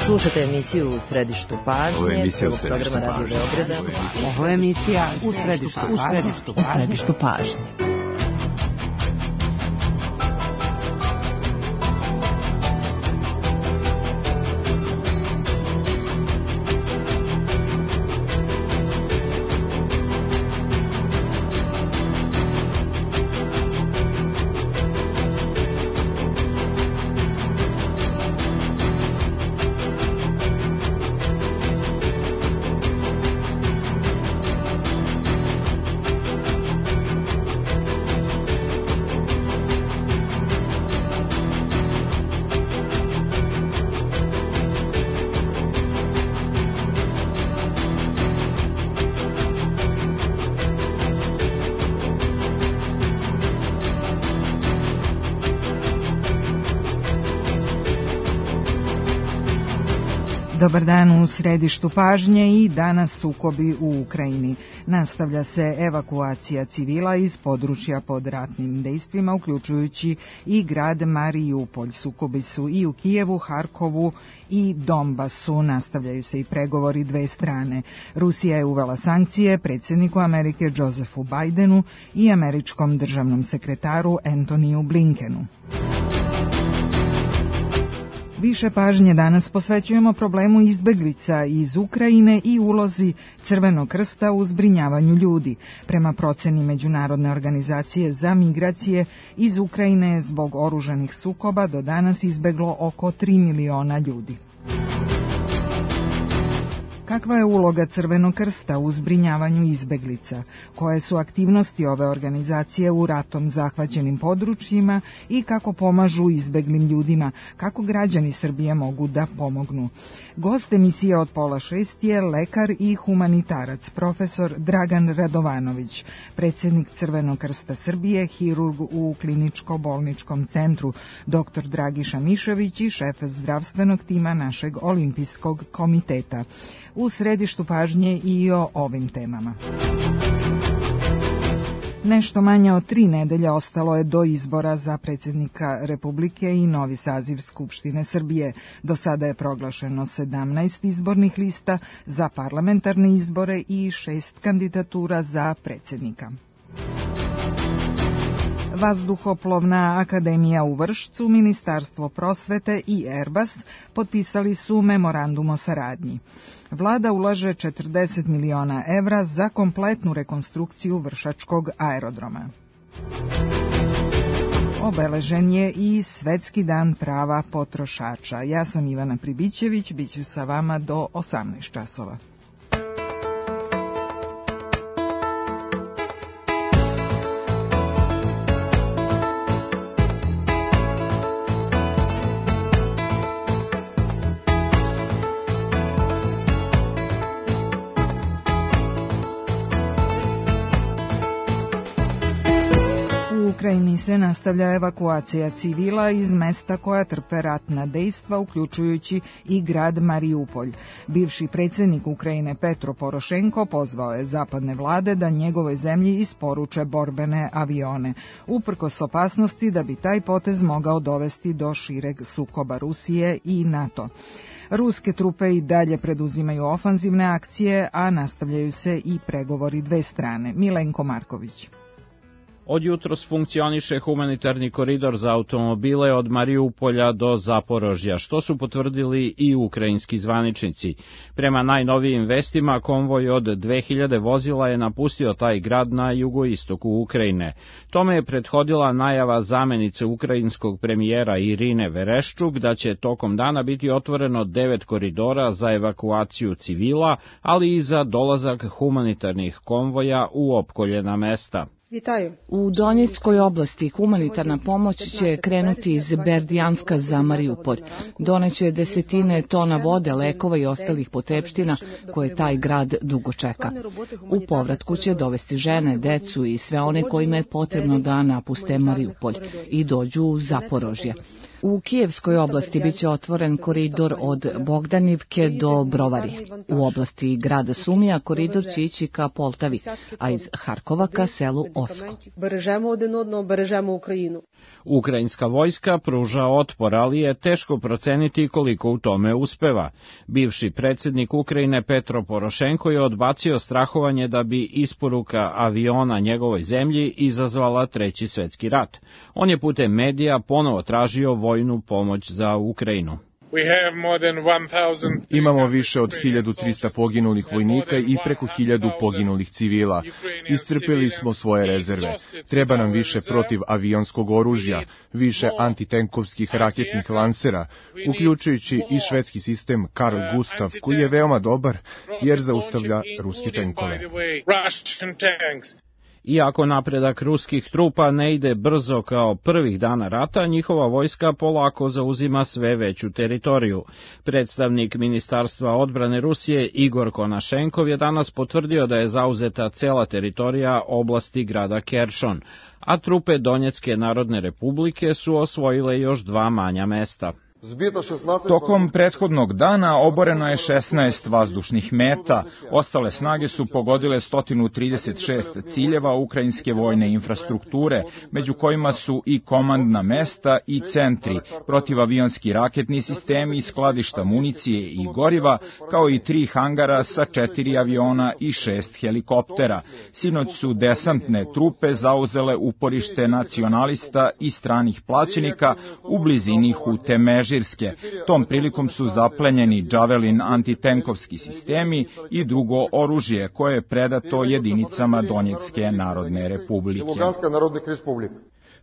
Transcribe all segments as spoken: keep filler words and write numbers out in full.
Slušate emisiju U središtu pažnje, prvog programa Radio Beograda. Ovo je emisija U središtu pažnje. U središtu pažnje. Dobar dan u središtu pažnje i danas sukobi u Ukrajini. Nastavlja se evakuacija civila iz područja pod ratnim dejstvima, uključujući i grad Marijupolj. Sukobi su i u Kijevu, Harkovu i Donbasu. Nastavljaju se i pregovori dve strane. Rusija je uvela sankcije predsjedniku Amerike Josephu Bidenu i američkom državnom sekretaru Antoniju Blinkenu. Više pažnje danas posvećujemo problemu izbeglica iz Ukrajine i ulozi Crvenog krsta u zbrinjavanju ljudi. Prema proceni Međunarodne organizacije za migracije, iz Ukrajine je zbog oružanih sukoba do danas izbeglo oko tri miliona ljudi. Kakva je uloga Crvenog krsta u zbrinjavanju izbeglica? Koje su aktivnosti ove organizacije u ratom zahvaćenim područjima i kako pomažu izbeglim ljudima? Kako građani Srbije mogu da pomognu? Gost emisije od pola šest je lekar i humanitarac, profesor Dragan Radovanović, predsjednik Crvenog krsta Srbije, hirurg u kliničko-bolničkom centru, doktor Dragiša Mišović i šef zdravstvenog tima našeg olimpijskog komiteta. U središtu pažnje i o ovim temama. Nešto manje od tri nedelje ostalo je do izbora za predsjednika Republike i novi saziv Skupštine Srbije. Do sada je proglašeno sedamnaest izbornih lista za parlamentarne izbore i šest kandidatura za predsjednika. Vazduhoplovna akademija u Vršcu, Ministarstvo prosvete i Airbus potpisali su memorandum o saradnji. Vlada ulaže četrdeset miliona evra za kompletnu rekonstrukciju Vršačkog aerodroma. Obeležen je i Svetski dan prava potrošača. Ja sam Ivana Pribićević, bit ću sa vama do osamnaest časova. U Ukrajini se nastavlja evakuacija civila iz mesta koja trpe ratna dejstva, uključujući i grad Marijupolj. Bivši predsjednik Ukrajine Petro Porošenko pozvao je zapadne vlade da njegovoj zemlji isporuče borbene avione, uprkos opasnosti da bi taj potez mogao dovesti do šireg sukoba Rusije i NATO. Ruske trupe i dalje preduzimaju ofanzivne akcije, a nastavljaju se i pregovori dve strane. Milenko Marković. Od jutros funkcioniše humanitarni koridor za automobile od Marijupolja do Zaporožja, što su potvrdili i ukrajinski zvaničnici. Prema najnovijim vestima, konvoj od dve hiljade vozila je napustio taj grad na jugoistoku Ukrajine. Tome je prethodila najava zamenice ukrajinskog premijera Irine Vereščuk da će tokom dana biti otvoreno devet koridora za evakuaciju civila, ali i za dolazak humanitarnih konvoja u opkoljena mesta. U Donjeckoj oblasti humanitarna pomoć će krenuti iz Berdijanska za Marijupolj. Doneće desetine tona vode, lekova i ostalih potrepština koje taj grad dugo čeka. U povratku će dovesti žene, decu i sve one kojima je potrebno da napuste Marijupolj i dođu u Zaporožje. U Kijevskoj oblasti biće otvoren koridor od Bogdanivke do Brovarije. U oblasti grada Sumija koridor će ići ka Poltavi, a iz Harkova ka selu Moskvu. Бережемо один одного, бережемо Україну. Ukrajinska vojska pruža otpor, ali je teško proceniti koliko u tome uspeva. Bivši predsjednik Ukrajine Petro Porošenko je odbacio strahovanje da bi isporuka aviona njegovoj zemlji izazvala treći svjetski rat. On je putem medija ponovo tražio vojnu pomoć za Ukrajinu. Imamo više od hiljadu trista poginulih vojnika i preko hiljadu poginulih civila. Iscrpili smo svoje rezerve. Treba nam više protivavionskog oružja, više antitenkovskih raketnih lansera, uključujući i švedski sistem Carl Gustav, koji je veoma dobar jer zaustavlja ruske tenkove. Iako napredak ruskih trupa ne ide brzo kao prvih dana rata, njihova vojska polako zauzima sve veću teritoriju. Predstavnik Ministarstva odbrane Rusije Igor Konašenkov je danas potvrdio da je zauzeta cela teritorija oblasti grada Keršon, a trupe Donjecke narodne republike su osvojile još dva manja mesta. Tokom prethodnog dana oboreno je šesnaest vazdušnih meta, ostale snage su pogodile sto trideset šest ciljeva ukrajinske vojne infrastrukture, među kojima su i komandna mesta i centri, protivavionski raketni sistemi, skladišta municije i goriva, kao i tri hangara sa četiri aviona i šest helikoptera. Sinoć su desantne trupe zauzele uporište nacionalista i stranih plaćenika u blizini Hute Mežirske. Tom prilikom su zaplenjeni Javelin antitenkovski sistemi i drugo oružje koje je predato jedinicama Donjecke narodne republike.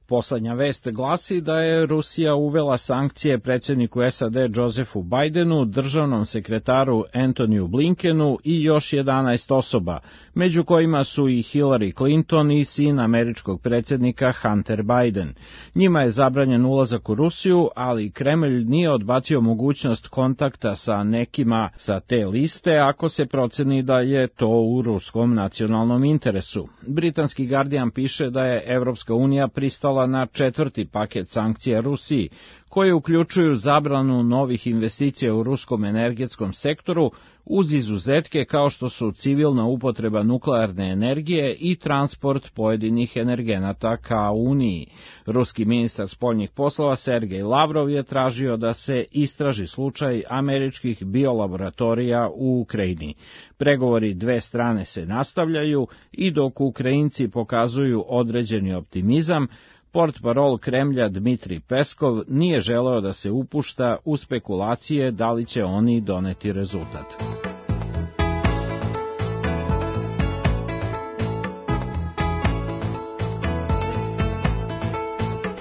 Poslednja vest glasi da je Rusija uvela sankcije predsjedniku S A D Josephu Bidenu, državnom sekretaru Antoniju Blinkenu i još jedanaest osoba, među kojima su i Hillary Clinton i sin američkog predsjednika Hunter Biden. Njima je zabranjen ulazak u Rusiju, ali Kremlj nije odbacio mogućnost kontakta sa nekima sa te liste ako se proceni da je to u ruskom nacionalnom interesu. Britanski Guardian piše da je Evropska unija pristala na četvrti paket sankcija Rusiji, koje uključuju zabranu novih investicija u ruskom energetskom sektoru, uz izuzetke kao što su civilna upotreba nuklearne energije i transport pojedinih energenata ka Uniji. Ruski ministar spoljnih poslova Sergej Lavrov je tražio da se istraži slučaj američkih biolaboratorija u Ukrajini. Pregovori dve strane se nastavljaju i dok Ukrajinci pokazuju određeni optimizam, portparol Kremlja Dmitrij Peskov nije želeo da se upušta u spekulacije da li će oni doneti rezultat.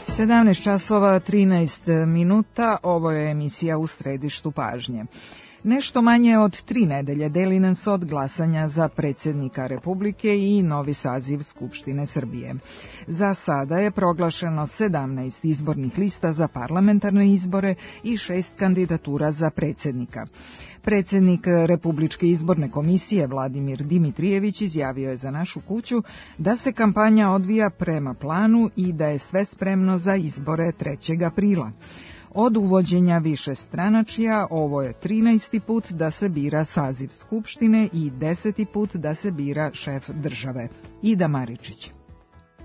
sedamnaest časova trinaest minuta, ovo je emisija U središtu pažnje. Nešto manje od tri nedelje deli nas od glasanja za predsjednika Republike i novi saziv Skupštine Srbije. Za sada je proglašeno sedamnaest izbornih lista za parlamentarne izbore i šest kandidatura za predsjednika. Predsjednik Republičke izborne komisije Vladimir Dimitrijević izjavio je za našu kuću da se kampanja odvija prema planu i da je sve spremno za izbore trećeg aprila. Od uvođenja višestranačja ovo je trinaesti put da se bira saziv Skupštine i deseti put da se bira šef države. Ida Maričić.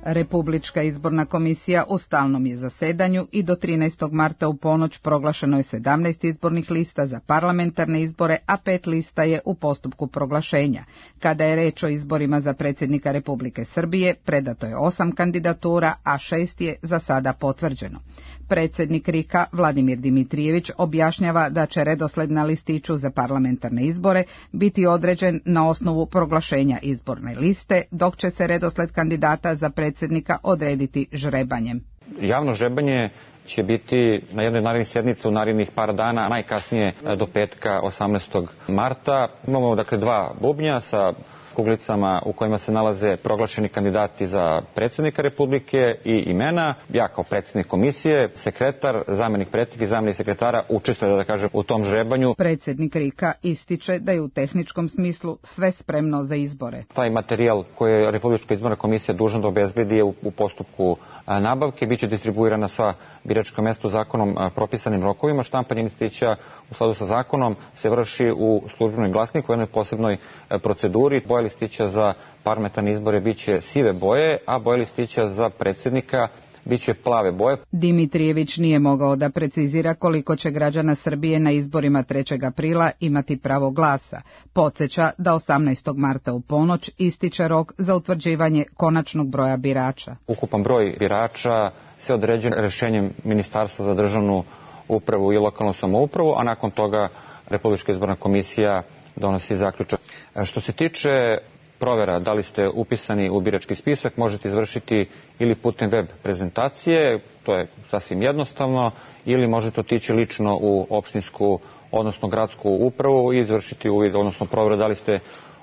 Republička izborna komisija u stalnom je zasedanju i do trinaestog marta u ponoć proglašeno je sedamnaest izbornih lista za parlamentarne izbore, a pet lista je u postupku proglašenja. Kada je reč o izborima za predsjednika Republike Srbije, predato je osam kandidatura, a šest je za sada potvrđeno. Predsjednik R I K-a Vladimir Dimitrijević objašnjava da će redosled na listiću za parlamentarne izbore biti određen na osnovu proglašenja izborne liste, dok će se redosled kandidata za predsjednika odrediti žrebanjem. Javno žrebanje će biti na jednoj narednih sjednica u narednih par dana, najkasnije do petka osamnaestog marta. Imamo dakle dva bubnja sa kuglicama u kojima se nalaze proglašeni kandidati za predsjednika Republike i imena. Ja kao predsjednik komisije, sekretar, zamjenik predsjednika i zamjenik sekretara učestvuje, da kažem, u tom žrebanju. Predsjednik R I K-a ističe da je u tehničkom smislu sve spremno za izbore. Taj materijal koji je Republička izborna komisija dužna da obezbedi je u, u postupku nabavke, biće distribuirana na sva biračka mesta u zakonom propisanim rokovima. Štampanje listića u skladu sa zakonom se vrši u službenom glasniku u jednoj posebnoj proceduri. Bojali listića za parlamentarne izbore biće sive boje, a boje listića za predsjednika biće plave boje. Dimitrijević nije mogao da precizira koliko će građana Srbije na izborima trećeg aprila imati pravo glasa. Podsjeća da osamnaestog marta u ponoć ističe rok za utvrđivanje konačnog broja birača. Ukupan broj birača se određuje rešenjem Ministarstva za državnu upravu i lokalnu samoupravu, a nakon toga Republička izborna komisija donosi zaključak. Što se tiče provera da li ste upisani u birački spisak, možete izvršiti ili putem web prezentacije, to je sasvim jednostavno, ili možete otići lično u opštinsku, odnosno gradsku upravu i izvršiti uvid, odnosno proveru da li ste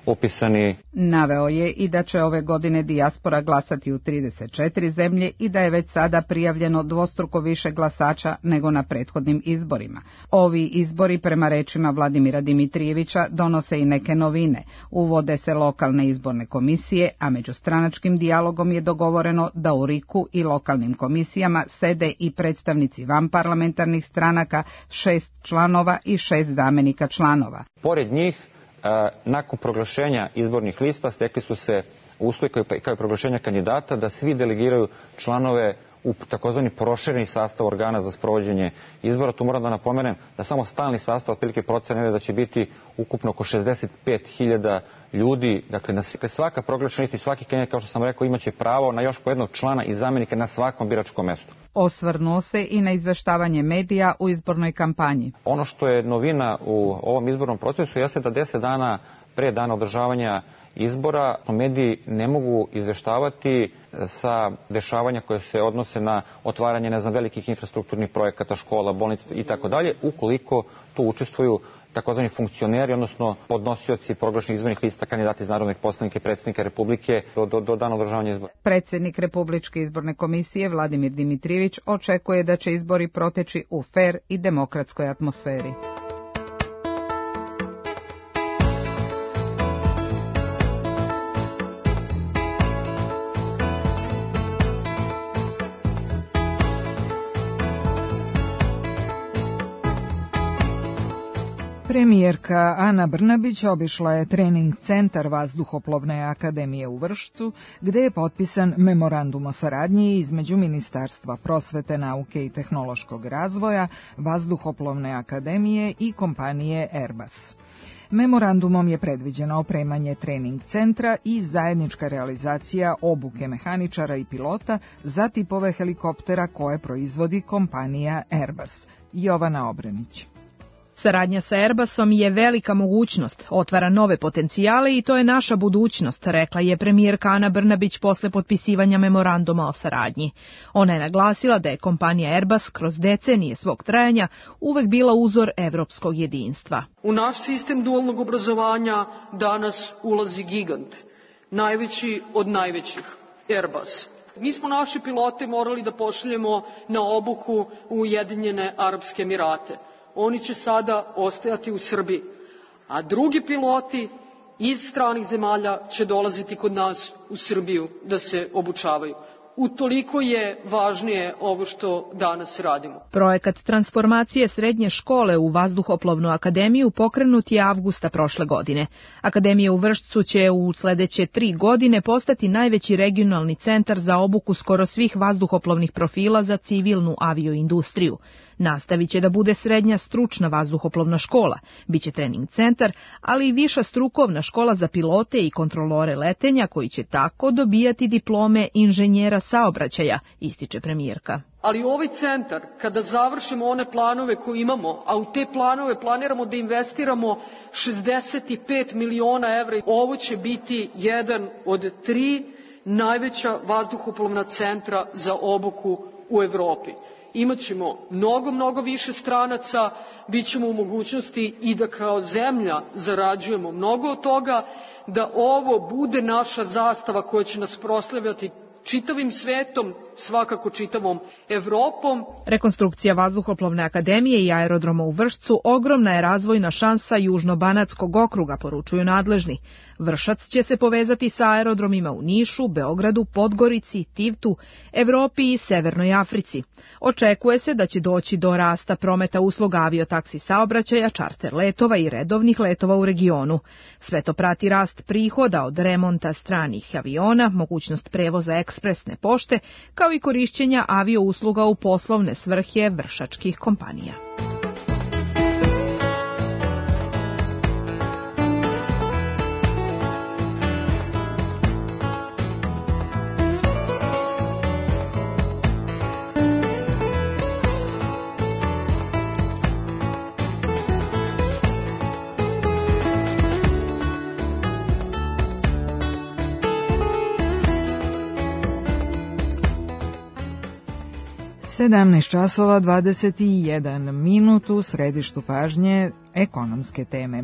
upisani. Naveo je i da će ove godine dijaspora glasati u trideset četiri zemlje i da je već sada prijavljeno dvostruko više glasača nego na prethodnim izborima. Ovi izbori, prema rečima Vladimira Dimitrijevića, donose i neke novine. Uvode se lokalne izborne komisije, a međustranačkim dijalogom je dogovoreno da u riku i lokalnim komisijama sede i predstavnici vanparlamentarnih stranaka, šest članova i šest zamenika članova. Pored njih, nakon proglašenja izbornih lista stekli su se uslovi kao i proglašenja kandidata da svi delegiraju članove u takozvani prošireni sastav organa za sprovođenje izbora. Tu moram da napomenem da samo stalni sastav otprilike procene da će biti ukupno oko šezdeset pet hiljada ljudi. Dakle, na svaka proglašena lista i svaki kandidat, kao što sam rekao, imaće pravo na još po jednog člana i zamenika na svakom biračkom mestu. Osvrnuo se i na izveštavanje medija u izbornoj kampanji. Ono što je novina u ovom izbornom procesu jeste da deset dana pre dana održavanja izbora mediji ne mogu izveštavati sa dešavanja koje se odnose na otvaranje, ne znam, velikih infrastrukturnih projekata, škola, bolnica i tako dalje, ukoliko tu učestvuju takozvani funkcioneri, odnosno podnosioci proglašenih izbornih lista, kandidati iz narodnih poslanika i predsjednika Republike do, do, do dana održavanja izbora. Predsjednik Republičke izborne komisije Vladimir Dimitrijević očekuje da će izbori proteći u fer i demokratskoj atmosferi. Premijerka Ana Brnabić obišla je trening centar Vazduhoplovne akademije u Vršcu, gde je potpisan memorandum o saradnji između Ministarstva prosvete, nauke i tehnološkog razvoja, Vazduhoplovne akademije i kompanije Airbus. Memorandumom je predviđeno opremanje trening centra i zajednička realizacija obuke mehaničara i pilota za tipove helikoptera koje proizvodi kompanija Airbus. Jovana Obrenić. Saradnja sa Airbusom je velika mogućnost, otvara nove potencijale i to je naša budućnost, rekla je premijerka Ana Brnabić posle potpisivanja memoranduma o saradnji. Ona je naglasila da je kompanija Airbus kroz decenije svog trajanja uvek bila uzor evropskog jedinstva. U naš sistem dualnog obrazovanja danas ulazi gigant, najveći od najvećih, Airbus. Mi smo naše pilote morali da pošaljemo na obuku u Ujedinjene Arapske Emirate. Oni će sada ostajati u Srbiji, a drugi piloti iz stranih zemalja će dolaziti kod nas u Srbiju da se obučavaju. Utoliko je važnije ovo što danas radimo. Projekat transformacije srednje škole u Vazduhoplovnu akademiju pokrenut je avgusta prošle godine. Akademija u Vršcu će u sledeće tri godine postati najveći regionalni centar za obuku skoro svih vazduhoplovnih profila za civilnu avioindustriju. Nastavit će da bude srednja stručna vazduhoplovna škola, biće trening centar, ali i viša strukovna škola za pilote i kontrolore letenja koji će tako dobijati diplome inženjera saobraćaja, ističe premijerka. Ali ovaj centar, kada završimo one planove koje imamo, a u te planove planiramo da investiramo šezdeset pet miliona evra, ovo će biti jedan od tri najveća vazduhoplovna centra za obuku u Evropi. Imaćemo mnogo, mnogo više stranaca, bit ćemo u mogućnosti i da kao zemlja zarađujemo mnogo od toga, da ovo bude naša zastava koja će nas proslavljati čitavim svetom, svakako čitavom Evropom. Rekonstrukcija Vazduhoplovne akademije i aerodroma u Vršcu ogromna je razvojna šansa Južno-Banatskog okruga, poručuju nadležni. Vršac će se povezati sa aerodromima u Nišu, Beogradu, Podgorici, Tivtu, Evropi i Severnoj Africi. Očekuje se da će doći do rasta prometa usluga aviotaksi saobraćaja, čarter letova i redovnih letova u regionu. Sve to prati rast prihoda od remonta stranih aviona, mogućnost prevoza ekspresne pošte, kao i korišćenja avio usluga u poslovne svrhe vršačkih kompanija. sedamnaest časova dvadeset jedan minut u središtu pažnje ekonomske teme.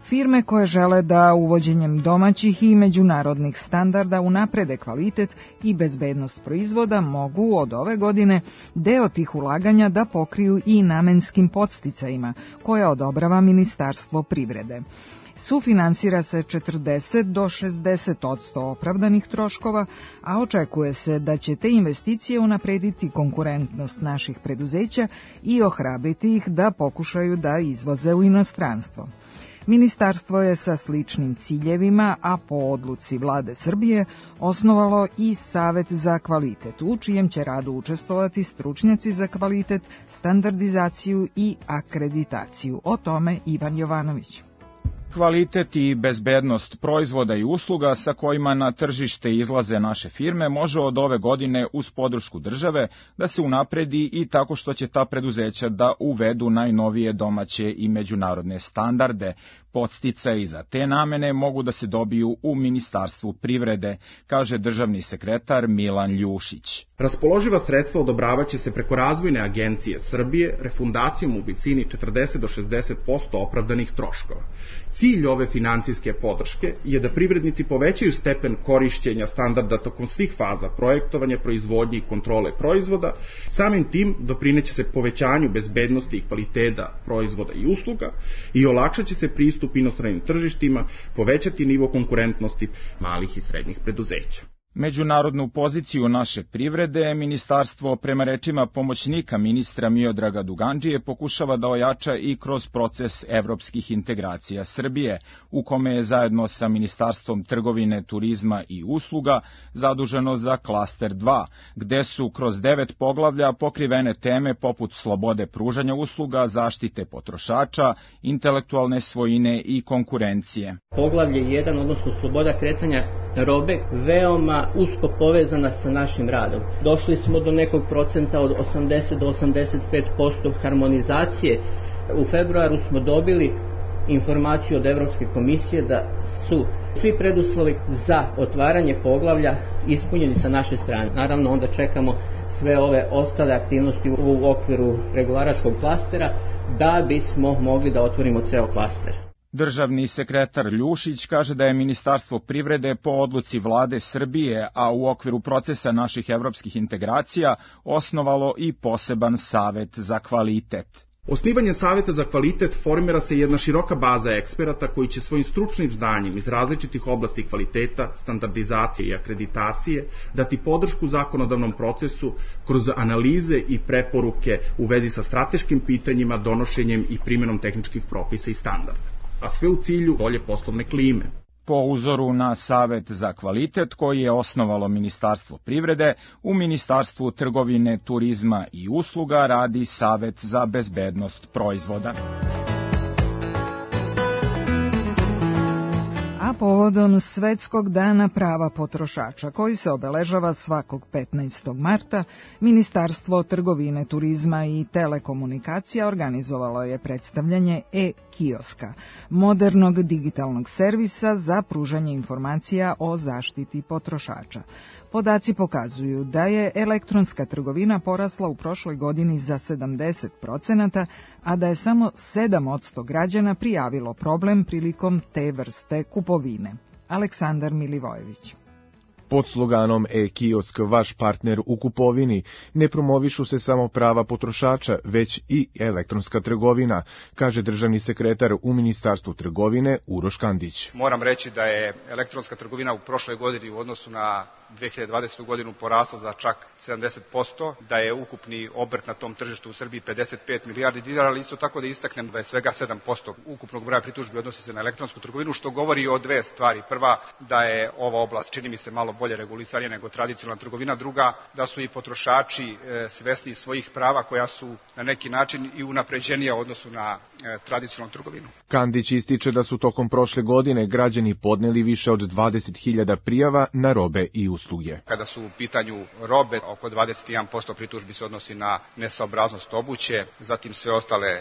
Firme koje žele da uvođenjem domaćih i međunarodnih standarda unaprede kvalitet i bezbednost proizvoda mogu od ove godine deo tih ulaganja da pokriju i namenskim podsticajima koje odobrava Ministarstvo privrede. Sufinansira se četrdeset do šezdeset odsto opravdanih troškova, a očekuje se da će te investicije unaprediti konkurentnost naših preduzeća i ohrabriti ih da pokušaju da izvoze u inostranstvo. Ministarstvo je sa sličnim ciljevima, a po odluci Vlade Srbije, osnovalo i Savet za kvalitet, u čijem će radu učestvovati stručnjaci za kvalitet, standardizaciju i akreditaciju. O tome Ivan Jovanović. Kvalitet i bezbednost proizvoda i usluga sa kojima na tržište izlaze naše firme može od ove godine uz podršku države da se unapredi i tako što će ta preduzeća da uvedu najnovije domaće i međunarodne standarde. Podsticaji za te namene mogu da se dobiju u Ministarstvu privrede, kaže državni sekretar Milan Ljušić. Raspoloživa sredstva odobravaće se preko Razvojne agencije Srbije refundacijom u visini četrdeset do šezdeset posto opravdanih troškova. Cilj ove finansijske podrške je da privrednici povećaju stepen korišćenja standarda tokom svih faza projektovanja, proizvodnje i kontrole proizvoda, samim tim doprineće se povećanju bezbednosti i kvaliteta proizvoda i usluga i olakšaće se pristup inostranim tržištima, povećati nivo konkurentnosti malih i srednjih preduzeća. Međunarodnu poziciju naše privrede ministarstvo prema rečima pomoćnika ministra Miodraga Dugandžije pokušava da ojača i kroz proces evropskih integracija Srbije, u kome je zajedno sa Ministarstvom trgovine, turizma i usluga zaduženo za klaster dva, gde su kroz devet poglavlja pokrivene teme poput slobode pružanja usluga, zaštite potrošača, intelektualne svojine i konkurencije. Poglavlje jedan, odnosno sloboda kretanja robe, veoma usko povezana sa našim radom. Došli smo do nekog procenta od osamdeset do osamdeset pet posto harmonizacije. U februaru smo dobili informaciju od Evropske komisije da su svi preduslovi za otvaranje poglavlja ispunjeni sa naše strane. Naravno, onda čekamo sve ove ostale aktivnosti u okviru pregovaračkog klastera da bismo mogli da otvorimo ceo klaster. Državni sekretar Ljušić kaže da je Ministarstvo privrede po odluci Vlade Srbije, a u okviru procesa naših evropskih integracija, osnovalo i poseban savet za kvalitet. Osnivanjem Saveta za kvalitet formira se jedna široka baza eksperata koji će svojim stručnim znanjem iz različitih oblasti kvaliteta, standardizacije i akreditacije dati podršku zakonodavnom procesu kroz analize i preporuke u vezi sa strateškim pitanjima, donošenjem i primjenom tehničkih propisa i standarda, a sve u cilju bolje poslovne klime. Po uzoru na Savet za kvalitet koji je osnovalo Ministarstvo privrede, u Ministarstvu trgovine, turizma i usluga radi Savet za bezbednost proizvoda. A povodom Svetskog dana prava potrošača, koji se obeležava svakog petnaestog marta, Ministarstvo trgovine, turizma i telekomunikacija organizovalo je predstavljanje e-kioska, modernog digitalnog servisa za pružanje informacija o zaštiti potrošača. Podaci pokazuju da je elektronska trgovina porasla u prošloj godini za sedamdeset procenata, a da je samo sedam posto građana prijavilo problem prilikom te vrste kupovine. Aleksandar Milivojević. Pod sloganom e-kiosk vaš partner u kupovini ne promovišu se samo prava potrošača, već i elektronska trgovina, kaže državni sekretar u Ministarstvu trgovine Uroš Kandić. Moram reći da je elektronska trgovina u prošloj godini u odnosu na dve hiljade dvadesete. godinu porasla za čak sedamdeset posto, da je ukupni obrt na tom tržištu u Srbiji pedeset pet milijardi dinara, ali isto tako da istaknem da je svega sedam posto ukupnog broja pritužbi odnosi se na elektronsku trgovinu, što govori o dve stvari. Prva, da je ova oblast, čini mi se, malo bolje regulisanja nego tradicionalna trgovina. Druga, da su i potrošači e, svesni svojih prava koja su na neki način i unapređenija u odnosu na e, tradicionalnu trgovinu. Kandić ističe da su tokom prošle godine građani podneli više od dvadeset hiljada prijava na robe i usluge. Kada su u pitanju robe, oko dvadeset jedan posto pritužbi se odnosi na nesaobraznost obuće, zatim sve ostale e,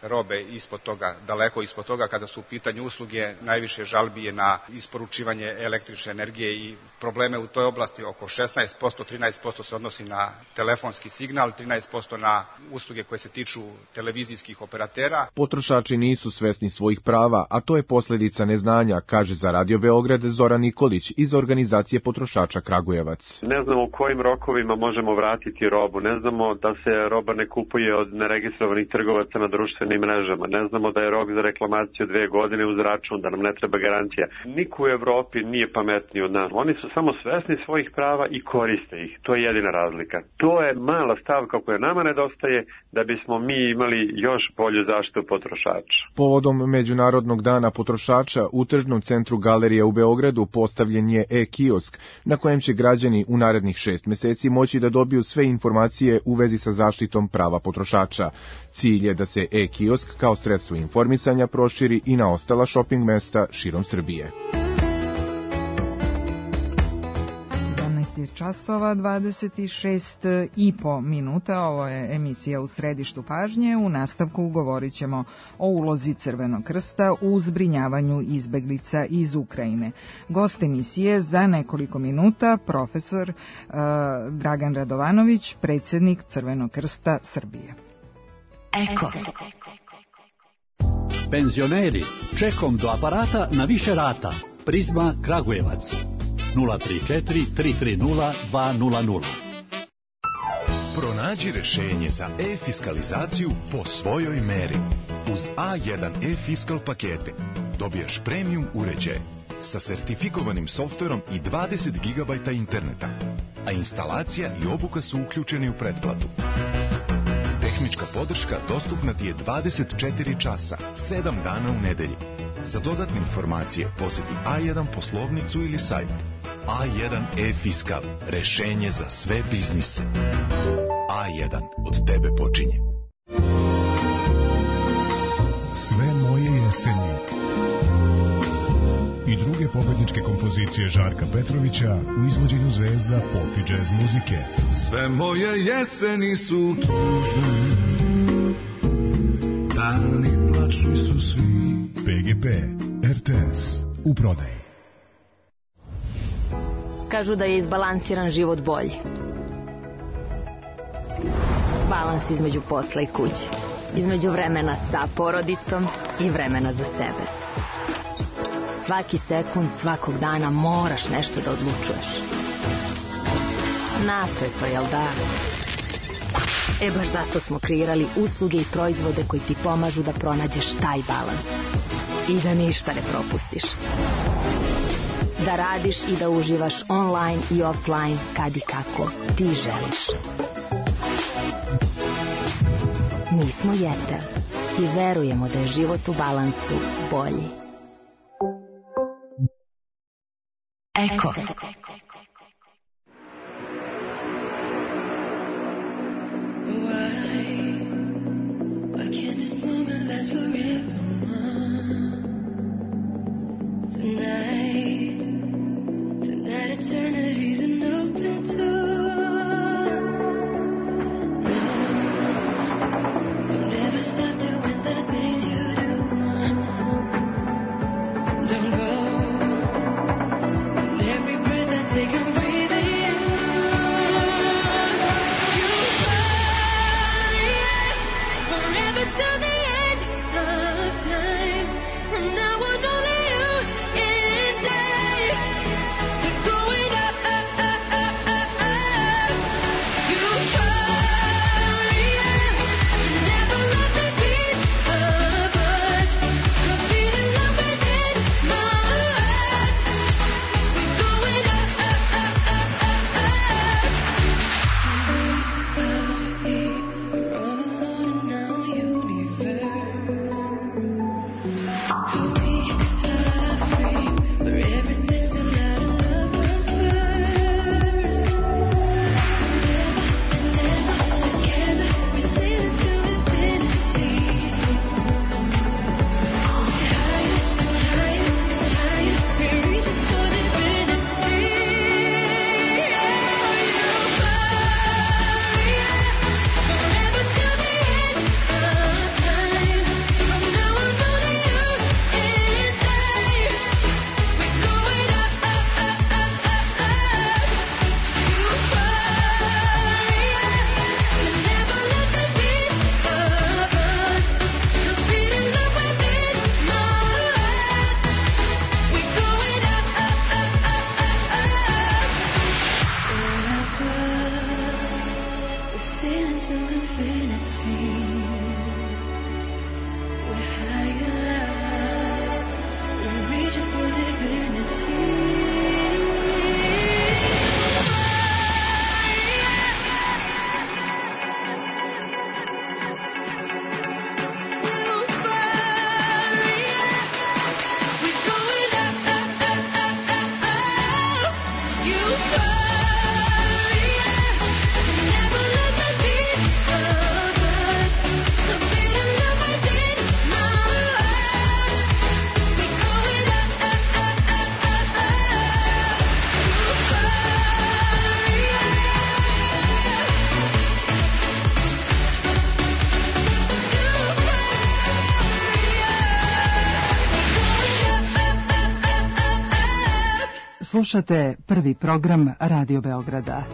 robe ispod toga, daleko ispod toga. Kada su u pitanju usluge, najviše žalbi je na isporučivanje električne energije i probleme u toj oblasti. Oko šesnaest posto, trinaest posto se odnosi na telefonski signal, trinaest posto na usluge koje se tiču televizijskih operatera. Potrošači nisu svesni svojih prava, a to je posljedica neznanja, kaže za Radio Beograd Zoran Nikolić iz organizacije potrošača Kragujevac. Ne znamo u kojim rokovima možemo vratiti robu, ne znamo da se roba ne kupuje od neregistrovanih trgovaca na društvenim mrežama, ne znamo da je rok za reklamaciju dve godine uz račun, da nam ne treba garancija. Niko u Evropi nije pametniji od nas. Oni su samo svesni svojih prava i koriste ih. To je jedina razlika. To je mala stavka koja nama nedostaje da bismo mi imali još bolju zaštitu potrošača. Povodom Međunarodnog dana potrošača u tržnom centru Galerija u Beogradu postavljen je e-kiosk na kojem će građani u narednih šest meseci moći da dobiju sve informacije u vezi sa zaštitom prava potrošača. Cilj je da se e-kiosk kao sredstvo informisanja proširi i na ostala šoping mesta širom Srbije. Časova dvadeset šest i po minuta, ovo je emisija U središtu pažnje. U nastavku govorit ćemo o ulozi Crvenog krsta u zbrinjavanju izbeglica iz Ukrajine. Gost emisije za nekoliko minuta, profesor uh, Dragan Radovanović, predsjednik Crvenog krsta Srbije. Eko. Penzioneri, čekom do aparata na više rata. Prizma Kragujevac. nula tri četiri tri tri nula dva nula nula. Pronađi rešenje za e-fiskalizaciju po svojoj meri. Uz A jedan e-fiskal pakete dobijaš premium uređaj sa sertifikovanim softverom i dvadeset gigabajta interneta, a instalacija i obuka su uključeni u pretplatu. Tehnička podrška dostupna ti je dvadeset četiri časa, sedam dana u nedelji. Za dodatne informacije posjeti A jedan poslovnicu ili sajt. A jedan e-fiskal, rešenje za sve biznise. A jedan, od tebe počinje. Sve moje jeseni i druge pobedničke kompozicije Žarka Petrovića u izvođenju zvezda pop i džez muzike. Sve moje jeseni su tužne, dani plačni su svi. P G P, R T S, u prodaji. Kažu da je izbalansiran život bolji. Balans između posla i kuće. Između vremena sa porodicom i vremena za sebe. Svaki sekund, svakog dana moraš nešto da odlučuješ. Napeto, jel da? E baš zato smo kreirali usluge i proizvode koji ti pomažu da pronađeš taj balans. I da ništa ne propustiš. Da radiš i da uživaš online i offline kad i kako ti želiš. Mi smo Jetel i verujemo da je život u balansu bolji. Eko. Take Slušate prvi program Radio Beograda.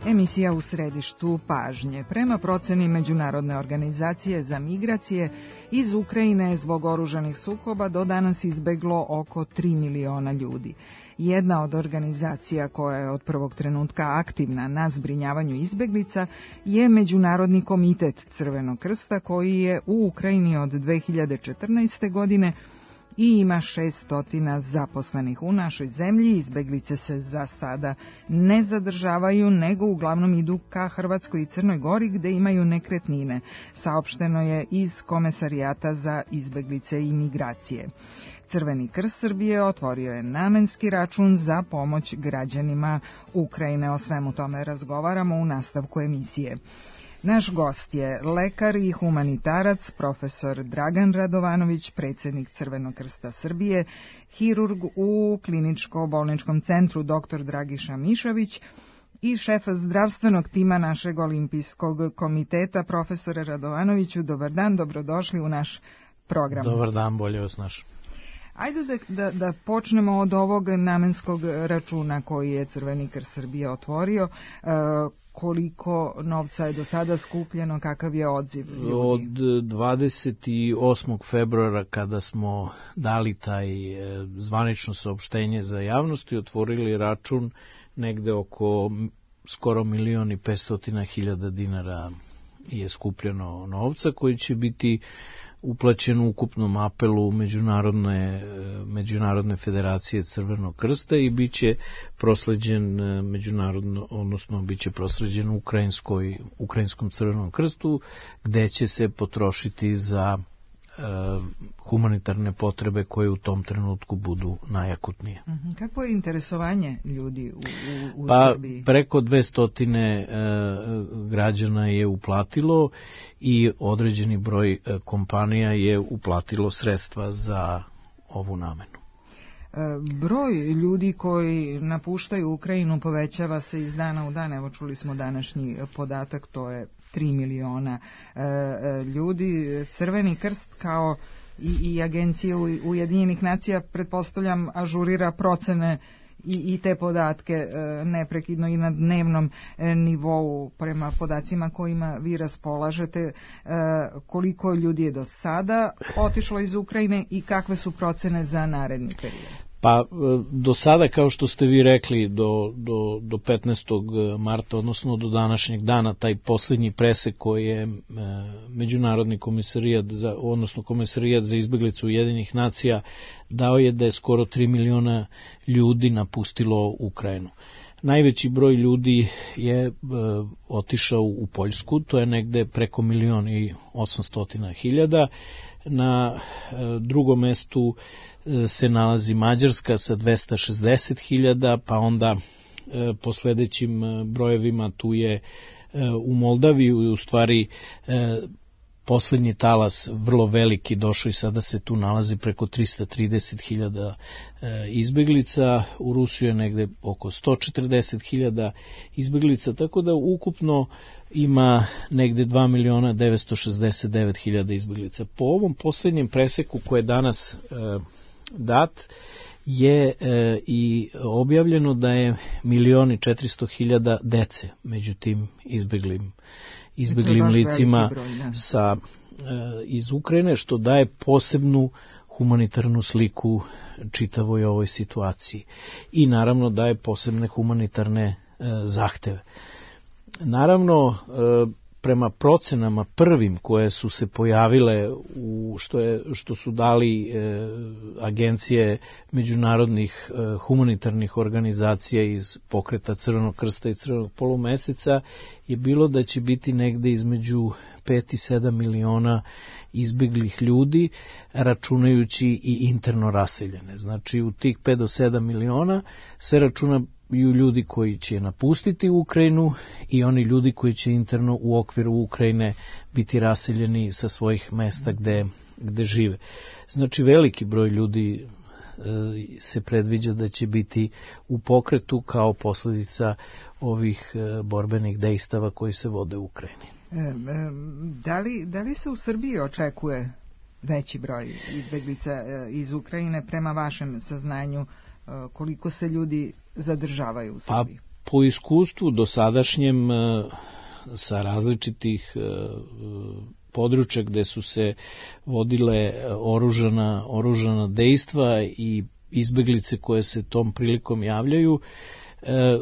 Emisija u središtu pažnje. Prema proceni Međunarodne organizacije za migracije, iz Ukrajine je zbog oružanih sukoba do danas izbeglo oko tri miliona ljudi. Jedna od organizacija koja je od prvog trenutka aktivna na zbrinjavanju izbeglica je Međunarodni komitet Crvenog krsta, koji je u Ukrajini od dve hiljade četrnaeste. godine i ima šesto zaposlenih u našoj zemlji. Izbeglice se za sada ne zadržavaju, nego uglavnom idu ka Hrvatskoj i Crnoj Gori, gde imaju nekretnine, saopšteno je iz Komesarijata za izbeglice i migracije. Crveni krst Srbije otvorio je namenski račun za pomoć građanima Ukrajine. O svemu tome razgovaramo u nastavku emisije. Naš gost je lekar i humanitarac, profesor Dragan Radovanović, predsjednik Crvenog krsta Srbije, hirurg u kliničko-bolničkom centru dr. Dragiša Mišović i šef zdravstvenog tima našeg olimpijskog komiteta, profesore Radovanoviću. Dobar dan, dobrodošli u naš program. Dobar dan, bolje vas naš. Ajde da, da, da počnemo od ovog namenskog računa koji je Crveni krst Srbije otvorio. E, koliko novca je do sada skupljeno, kakav je odziv ljudi? Od dvadeset osmog februara, kada smo dali taj zvanično saopštenje za javnost i otvorili račun, negde oko skoro milion i petstotina hiljada dinara je skupljeno novca, koji će biti uplaćen u ukupnom apelu Međunarodne, Međunarodne federacije Crvenog krsta i bit će prosleđen međunarodno, odnosno bit će prosleđen Ukrajinskoj, Ukrajinskom Crvenom krstu, gde će se potrošiti za e, humanitarne potrebe koje u tom trenutku budu najakutnije. Kako je interesovanje ljudi u, u, u pa, Srbiji? Preko dvesta e, građana je uplatilo i određeni broj e, kompanija je uplatilo sredstva za ovu namenu. E, broj ljudi koji napuštaju Ukrajinu povećava se iz dana u dan. Evo, čuli smo današnji podatak, to je tri miliona e, ljudi. Crveni krst kao i, i agencije Ujedinjenih nacija, pretpostavljam, ažurira procene i, i te podatke e, neprekidno i na dnevnom e, nivou prema podacima kojima vi raspolažete. E, koliko ljudi je do sada otišlo iz Ukrajine i kakve su procene za naredni period? Pa do sada, kao što ste vi rekli, do, do, do petnaestog marta, odnosno do današnjeg dana, taj posljednji presek koji je e, Međunarodni komisarijat, za, odnosno Komisarijat za izbeglicu Ujedinjenih nacija dao je da je skoro tri miliona ljudi napustilo Ukrajinu. Najveći broj ljudi je e, otišao u Poljsku, to je negde preko milion i osamstotina hiljada. Na e, drugom mestu e, se nalazi Mađarska sa dvesta šezdeset hiljada, pa onda e, po sledećim brojevima tu je e, u Moldaviji, u stvari e, poslednji talas vrlo veliki došao i sada se tu nalazi preko trista trideset hiljada e, izbeglica, u Rusiju je negde oko sto četrdeset hiljada izbeglica, tako da ukupno ima negde dva miliona devetsto šezdeset devet hiljada izbeglica. Po ovom poslednjem preseku koje je danas e, dat je e, i objavljeno da je milion i četiristo hiljada dece među tim izbeglim izbeglim licima broj, sa, e, iz Ukrajine, što daje posebnu humanitarnu sliku čitavoj ovoj situaciji i naravno daje posebne humanitarne e, zahteve. Naravno, e, prema procenama prvim koje su se pojavile, u što, je, što su dali e, agencije međunarodnih e, humanitarnih organizacija iz pokreta Crvenog krsta i Crvenog polumeseca, je bilo da će biti negde između pet i sedam miliona izbeglih ljudi, računajući i interno raseljene. Znači, u tih pet do sedam miliona se računa i ljudi koji će napustiti Ukrajinu i oni ljudi koji će interno u okviru Ukrajine biti raseljeni sa svojih mesta gde, gde žive. Znači, veliki broj ljudi se predviđa da će biti u pokretu kao posljedica ovih borbenih dejstava koji se vode u Ukrajini. Da li, da li se u Srbiji očekuje veći broj izbeglica iz Ukrajine prema vašem saznanju, koliko se ljudi zadržavaju u Srbiji? Pa, po iskustvu dosadašnjem sa različitih područja gde su se vodile oružana, oružana dejstva i izbeglice koje se tom prilikom javljaju,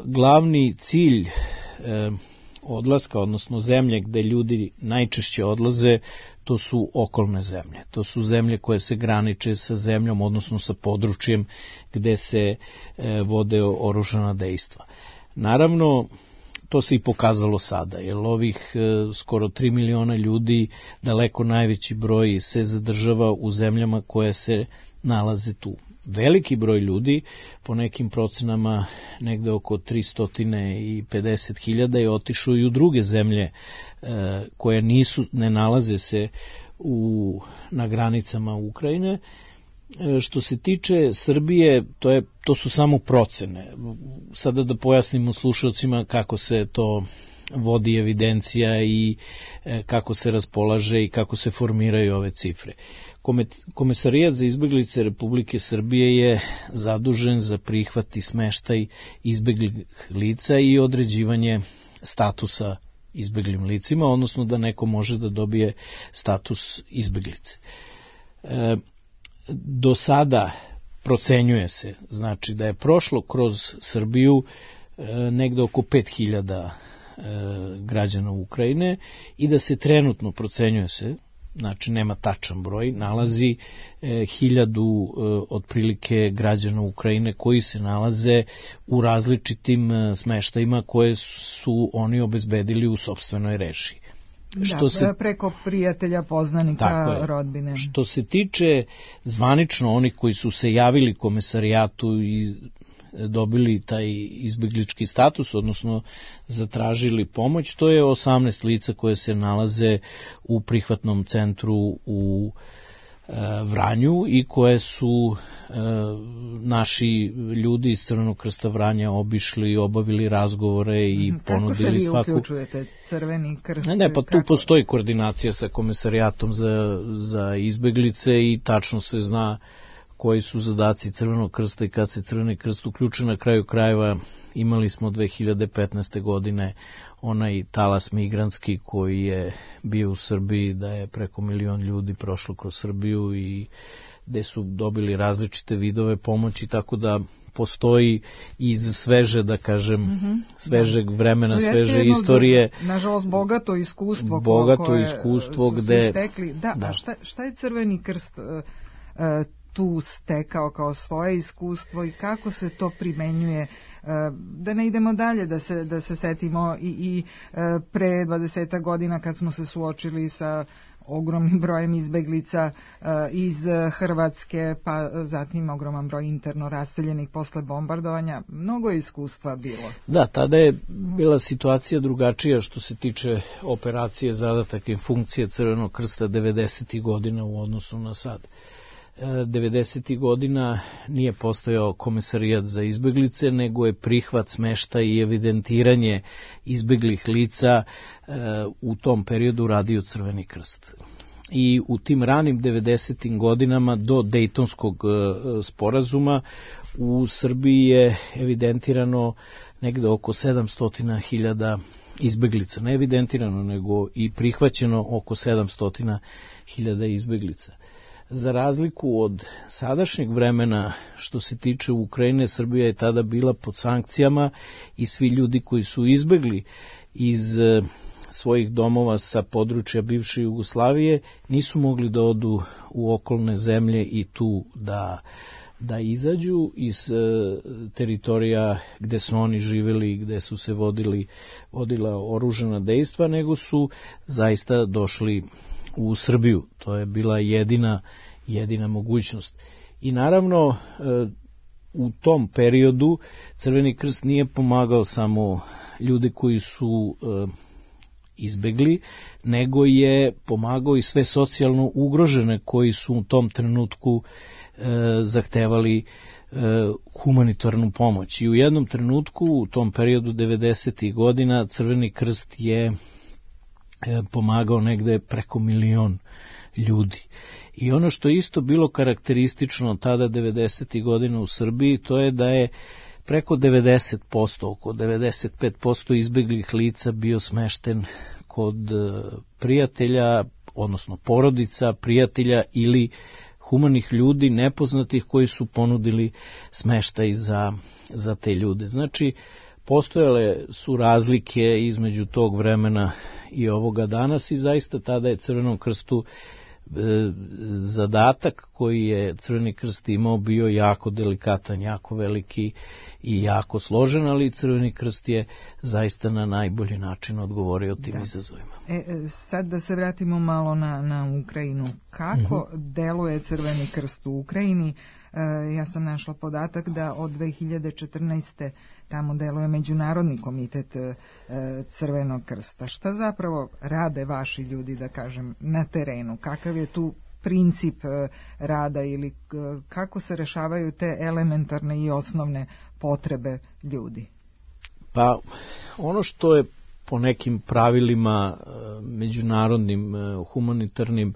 glavni cilj odlaska, odnosno zemlje gde ljudi najčešće odlaze, to su okolne zemlje. To su zemlje koje se graniče sa zemljom, odnosno sa područjem gde se vode oružana dejstva. Naravno, to se i pokazalo sada, jer ovih skoro tri miliona ljudi, daleko najveći broj se zadržava u zemljama koje se nalaze tu. Veliki broj ljudi, po nekim procenama negde oko tristo pedeset hiljada, je otišao i u druge zemlje koje nisu, ne nalaze se u, na granicama Ukrajine. Što se tiče Srbije, to, je, to su samo procene. Sada da pojasnimo slušalcima kako se to vodi evidencija i kako se raspolaže i kako se formiraju ove cifre. Komesarijat za izbeglice Republike Srbije je zadužen za prihvat i smeštaj izbeglih lica i određivanje statusa izbeglim licima, odnosno da neko može da dobije status izbeglice. E, do sada procenjuje se, znači da je prošlo kroz Srbiju e, negde oko pet hiljada e, građana Ukrajine i da se trenutno procenjuje se, znači nema tačan broj, nalazi e, hiljadu e, otprilike građana Ukrajine koji se nalaze u različitim e, smeštajima koje su oni obezbedili u sopstvenoj režiji. Što da, se, preko prijatelja, poznanika, rodbine. Što se tiče zvanično onih koji su se javili komesarijatu i dobili taj izbeglički status, odnosno zatražili pomoć, to je osamnaest lica koje se nalaze u prihvatnom centru u e, Vranju i koje su e, naši ljudi iz Crvenog krsta Vranja obišli, obavili razgovore i kako ponudili svaku... Kako se vi uključujete, Crveni krst? Ne, ne, pa tu kako? Postoji koordinacija sa komesarijatom za, za izbeglice i tačno se zna koji su zadaci Crvenog krsta i kad se Crveni krst uključuje. Na kraju krajeva imali smo dve hiljade petnaeste. godine onaj talas migrantski koji je bio u Srbiji, da je preko milion ljudi prošlo kroz Srbiju i gde su dobili različite vidove pomoći, tako da postoji iz sveže, da kažem, mm-hmm. svežeg vremena, sveže istorije. Nažalost, bogato iskustvo bogato koje iskustvo su gde... stekli. Da, da. A šta, šta je Crveni krst uh, uh, tu stekao kao svoje iskustvo i kako se to primenjuje, da ne idemo dalje, da se, da se setimo i, i pre dvadeset godina kad smo se suočili sa ogromnim brojem izbeglica iz Hrvatske, pa zatim ogroman broj interno raseljenih posle bombardovanja. Mnogo je iskustva bilo. Da, tada je bila situacija drugačija što se tiče operacije, zadatak i funkcije Crvenog krsta devedesetih godina u odnosu na sad. devedesetih godina nije postojao komesarijat za izbeglice, nego je prihvat, smeštaj i evidentiranje izbeglih lica u tom periodu radio Crveni krst. I u tim ranim devedesetim godinama do Dejtonskog sporazuma u Srbiji je evidentirano negde oko sedamsto hiljada izbeglica. Ne evidentirano, nego i prihvaćeno oko sedamsto hiljada izbeglica. Za razliku od sadašnjeg vremena što se tiče Ukrajine, Srbija je tada bila pod sankcijama i svi ljudi koji su izbegli iz svojih domova sa područja bivše Jugoslavije nisu mogli da odu u okolne zemlje i tu da, da izađu iz e, teritorija gde su oni živjeli i gde su se vodili, vodila oružana dejstva, nego su zaista došli u Srbiju. To je bila jedina, jedina mogućnost. I naravno, u tom periodu Crveni krst nije pomagao samo ljude koji su izbegli, nego je pomagao i sve socijalno ugrožene koji su u tom trenutku e, zahtevali e, humanitarnu pomoć. I u jednom trenutku, u tom periodu devedesetih godina, Crveni krst je e, pomagao negde preko milion ljudi. I ono što je isto bilo karakteristično tada devedesetih godina u Srbiji, to je da je preko devedeset posto, oko devedeset pet posto izbeglih lica bio smešten kod prijatelja, odnosno porodica, prijatelja ili humanih ljudi nepoznatih koji su ponudili smeštaj za, za te ljude. Znači, postojale su razlike između tog vremena i ovoga danas i zaista tada je Crvenom krstu zadatak koji je Crveni krst imao bio jako delikatan, jako veliki i jako složen, ali Crveni krst je zaista na najbolji način odgovorio tim da. izazovima. E, sad da se vratimo malo na, na Ukrajinu. Kako uh-huh. deluje Crveni krst u Ukrajini? E, ja sam našla podatak da od dve hiljade četrnaeste. tamo deluje Međunarodni komitet e, Crvenog krsta. Šta zapravo rade vaši ljudi, da kažem, na terenu? Kakav je tu princip e, rada ili k, kako se rešavaju te elementarne i osnovne potrebe ljudi? Pa, ono što je po nekim pravilima e, međunarodnim, e, humanitarnim,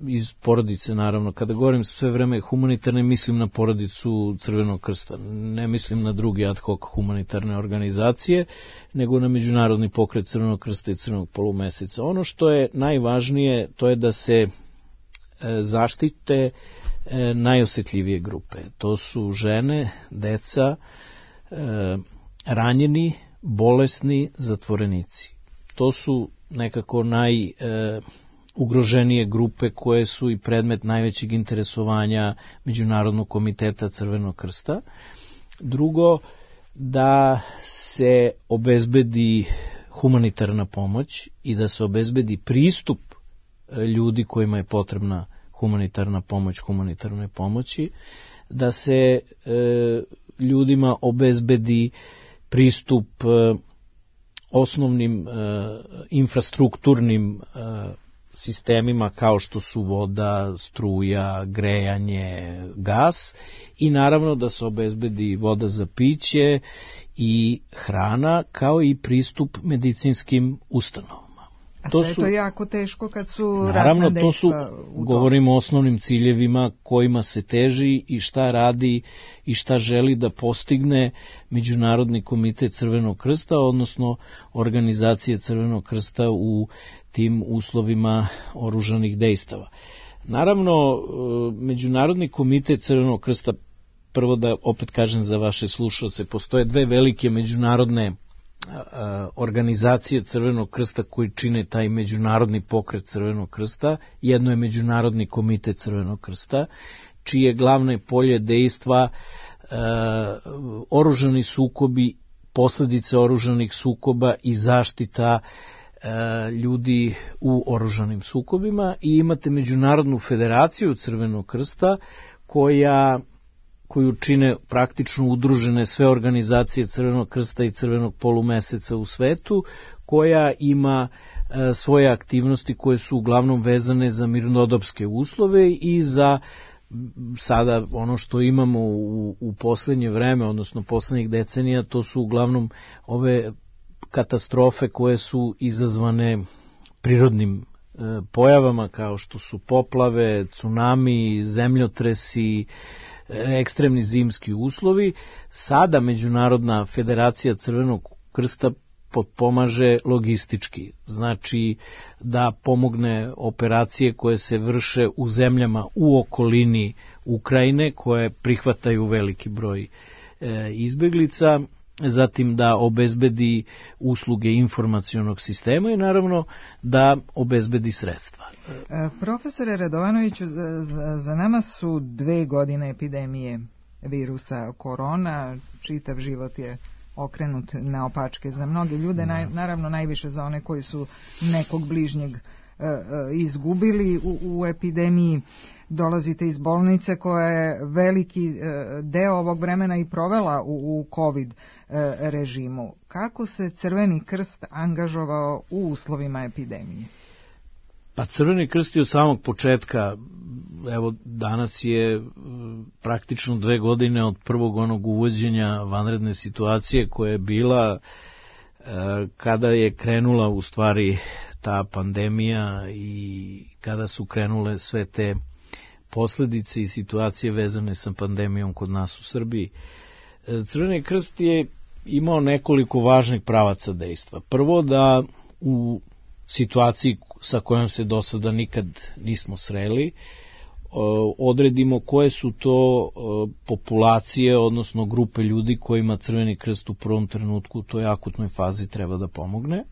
iz porodice, naravno. Kada govorim sve vreme humanitarne, mislim na porodicu Crvenog krsta. Ne mislim na drugi ad hoc humanitarne organizacije, nego na Međunarodni pokret Crvenog krsta i Crvenog polumeseca. Ono što je najvažnije, to je da se zaštite najosjetljivije grupe. To su žene, deca, ranjeni, bolesni, zatvorenici. To su nekako naj ugroženije grupe koje su i predmet najvećeg interesovanja Međunarodnog komiteta Crvenog krsta. Drugo, da se obezbedi humanitarna pomoć i da se obezbedi pristup ljudi kojima je potrebna humanitarna pomoć, humanitarnoj pomoći, da se e, ljudima obezbedi pristup e, osnovnim e, infrastrukturnim e, sistemima kao što su voda, struja, grejanje, gas i naravno da se obezbedi voda za piće i hrana kao i pristup medicinskim ustanovama. A to sve su, je to jako teško kad su naravno, to su, govorimo o osnovnim ciljevima kojima se teži i šta radi i šta želi da postigne Međunarodni komitet Crvenog krsta, odnosno organizacije Crvenog krsta u tim uslovima oružanih dejstava. Naravno, Međunarodni komitet Crvenog krsta, prvo da opet kažem za vaše slušalce, postoje dve velike međunarodne organizacije Crvenog krsta koji čine taj međunarodni pokret Crvenog krsta. Jedno je Međunarodni komitet Crvenog krsta, čije glavne polje dejstva e, oružani sukobi, posledice oružanih sukoba i zaštita e, ljudi u oružanim sukobima. I imate Međunarodnu federaciju Crvenog krsta koja koju čine praktično udružene sve organizacije Crvenog krsta i Crvenog polumeseca u svetu, koja ima e, svoje aktivnosti koje su uglavnom vezane za mirnodopske uslove i za sada ono što imamo u, u poslednje vreme, odnosno poslednjih decenija, to su uglavnom ove katastrofe koje su izazvane prirodnim e, pojavama kao što su poplave, tsunami, zemljotresi, ekstremni zimski uslovi. Sada Međunarodna federacija Crvenog krsta potpomaže logistički, znači da pomogne operacije koje se vrše u zemljama u okolini Ukrajine, koje prihvataju veliki broj e, izbeglica, zatim da obezbedi usluge informacionog sistema i naravno da obezbedi sredstva. Profesore Radovanoviću, za, za nama su dve godine epidemije virusa korona, čitav život je okrenut naopačke za mnoge ljude, naj, naravno najviše za one koji su nekog bližnjeg izgubili u, u epidemiji. Dolazite iz bolnice koja je veliki deo ovog vremena i provela u, u COVID režimu. Kako se Crveni krst angažovao u uslovima epidemije? Pa Crveni krst je od samog početka, evo danas je praktično dve godine od prvog onog uvođenja vanredne situacije koja je bila kada je krenula u stvari ta pandemija i kada su krenule sve te posledice i situacije vezane sa pandemijom kod nas u Srbiji. Crveni krst je imao nekoliko važnih pravaca dejstva. Prvo da u situaciji sa kojom se do sada nikad nismo sreli, odredimo koje su to populacije, odnosno grupe ljudi kojima Crveni krst u prvom trenutku u toj akutnoj fazi treba da pomogne.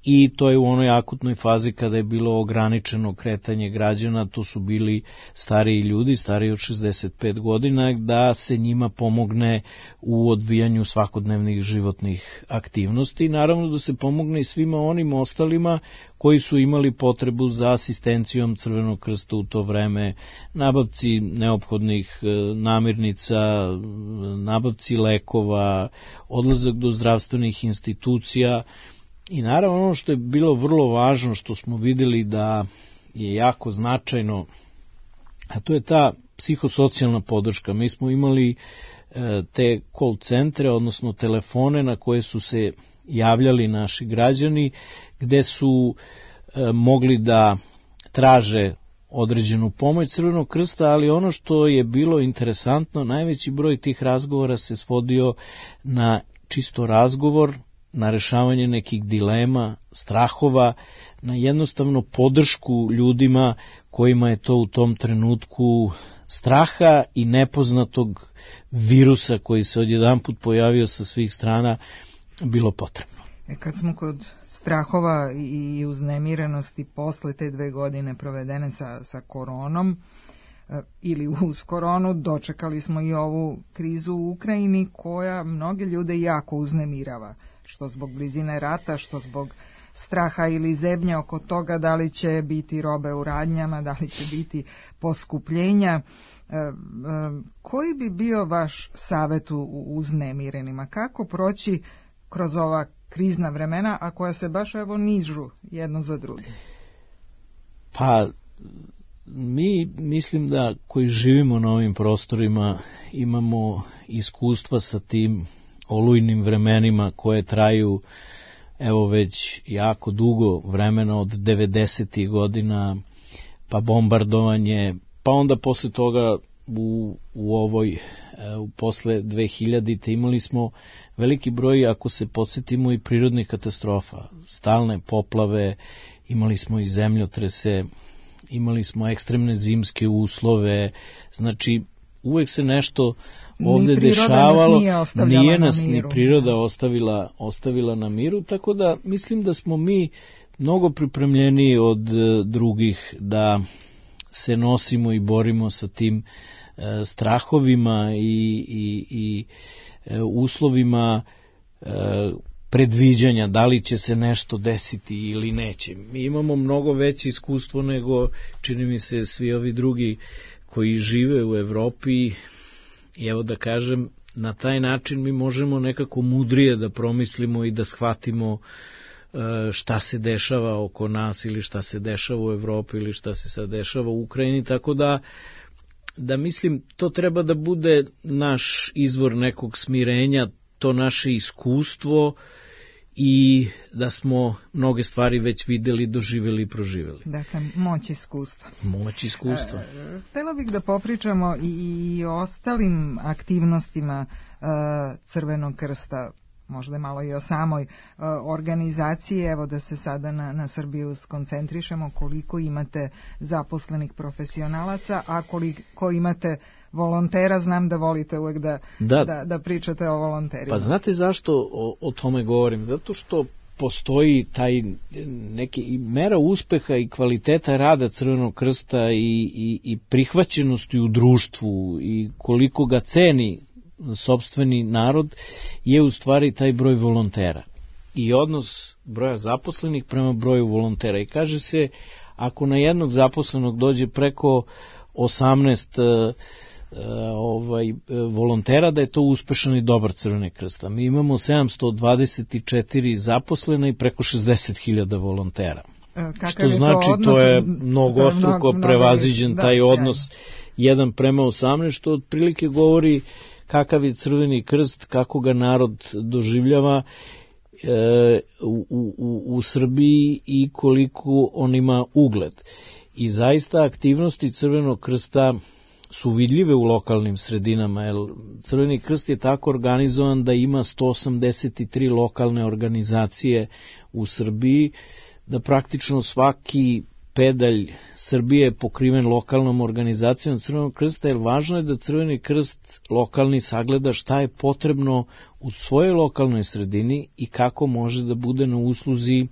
I to je u onoj akutnoj fazi kada je bilo ograničeno kretanje građana, to su bili stariji ljudi, stariji od šezdeset pet godina, da se njima pomogne u odvijanju svakodnevnih životnih aktivnosti i naravno da se pomogne i svima onim ostalima koji su imali potrebu za asistencijom Crvenog krsta u to vreme, nabavci neophodnih namirnica, nabavci lekova, odlazak do zdravstvenih institucija. I naravno ono što je bilo vrlo važno, što smo vidjeli da je jako značajno, a to je ta psihosocijalna podrška. Mi smo imali e, te call centre, odnosno telefone na koje su se javljali naši građani, gde su e, mogli da traže određenu pomoć Crvenog krsta, ali ono što je bilo interesantno, najveći broj tih razgovora se svodio na čisto razgovor, na rešavanje nekih dilema, strahova, na jednostavno podršku ljudima kojima je to u tom trenutku straha i nepoznatog virusa koji se odjedanput pojavio sa svih strana bilo potrebno. E kad smo kod strahova i uznemirenosti posle te dve godine provedene sa, sa koronom, ili uz koronu, dočekali smo i ovu krizu u Ukrajini koja mnoge ljude jako uznemirava, što zbog blizine rata, što zbog straha ili zebnje oko toga da li će biti robe u radnjama, da li će biti poskupljenja. E, e, koji bi bio vaš savjet u uznemirenima? Kako proći kroz ova krizna vremena, a koja se baš evo nižu jedno za drugim? Pa mi mislim da koji živimo na ovim prostorima imamo iskustva sa tim olujnim vremenima koje traju evo već jako dugo vremena od devedesetih godina, pa bombardovanje, pa onda posle toga u, u ovoj u posle dve hiljadite imali smo veliki broj, ako se podsjetimo, i prirodnih katastrofa, stalne poplave, imali smo i zemljotrese, imali smo ekstremne zimske uslove, znači uvek se nešto ovde dešavalo, nas nije, nije nas ni priroda ostavila, ostavila na miru, tako da mislim da smo mi mnogo pripremljeniji od drugih da se nosimo i borimo sa tim e, strahovima i, i, i e, uslovima e, predviđanja, da li će se nešto desiti ili neće. Mi imamo mnogo veće iskustvo nego, čini mi se, svi ovi drugi koji žive u Evropi, i evo da kažem, na taj način mi možemo nekako mudrije da promislimo i da shvatimo šta se dešava oko nas ili šta se dešava u Evropi ili šta se sad dešava u Ukrajini, tako da da mislim to treba da bude naš izvor nekog smirenja, to naše iskustvo i da smo mnoge stvari već videli, doživjeli i proživjeli. Dakle, moć iskustva. Moć iskustva. E, htjela bih da popričamo i, i o ostalim aktivnostima e, Crvenog krsta, možda malo i o samoj e, organizaciji, evo da se sada na, na Srbiju skoncentrišemo, koliko imate zaposlenih profesionalaca, a koliko imate volontera. Znam da volite uvek da, da. da, da pričate o volonterima. Pa znate zašto o, o tome govorim? Zato što postoji taj neki mera uspeha i kvaliteta rada Crvenog krsta i, i, i prihvaćenosti u društvu i koliko ga ceni sopstveni narod je u stvari taj broj volontera. i odnos broja zaposlenih prema broju volontera. I kaže se, ako na jednog zaposlenog dođe preko osamnaest ovaj, volontera, da je to uspešan i dobar Crveni krst. Mi imamo sedamsto dvadeset četiri zaposlena i preko šezdeset hiljada volontera. Kakav što znači to, odnos, to je mnogostruko prevaziđen da, taj odnos jedan prema osamnaest, što otprilike govori kakav je Crveni krst, kako ga narod doživljava e, u, u, u Srbiji i koliko on ima ugled. I zaista aktivnosti Crvenog krsta su vidljive u lokalnim sredinama, jer Crveni krst je tako organizovan da ima sto osamdeset tri lokalne organizacije u Srbiji, da praktično svaki pedalj Srbije je pokriven lokalnom organizacijom Crvenog krsta, jer važno je da Crveni krst lokalni sagleda šta je potrebno u svojoj lokalnoj sredini i kako može da bude na usluzi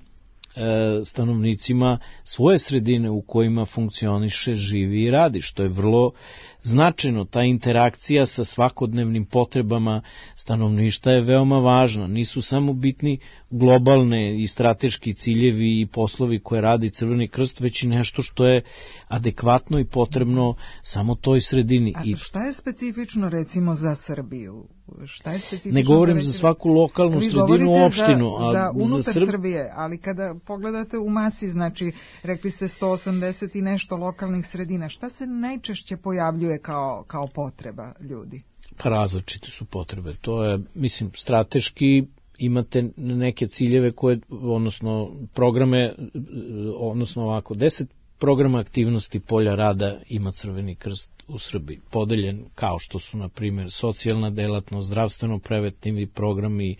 stanovnicima svoje sredine u kojima funkcioniše, živi i radi, što je vrlo značajno. Ta interakcija sa svakodnevnim potrebama stanovništva je veoma važna. Nisu samo bitni globalne i strateški ciljevi i poslovi koje radi Crveni krst, već i nešto što je adekvatno i potrebno samo toj sredini. A šta je specifično recimo za Srbiju? Šta je specifično? Ne govorim za, za svaku lokalnu sredinu, opštinu. Za, za unutar za Srb... Srbije, ali kada pogledate u masi, znači rekli ste sto osamdeset i nešto lokalnih sredina, šta se najčešće pojavljuje kao, kao potreba ljudi? Pa različite su potrebe. To je, mislim, strateški imate neke ciljeve koje, odnosno programe, odnosno ovako, deset programa aktivnosti polja rada ima Crveni krst u Srbiji, podeljen kao što su, na primjer, socijalna delatnost, zdravstveno-preventivni programi, e,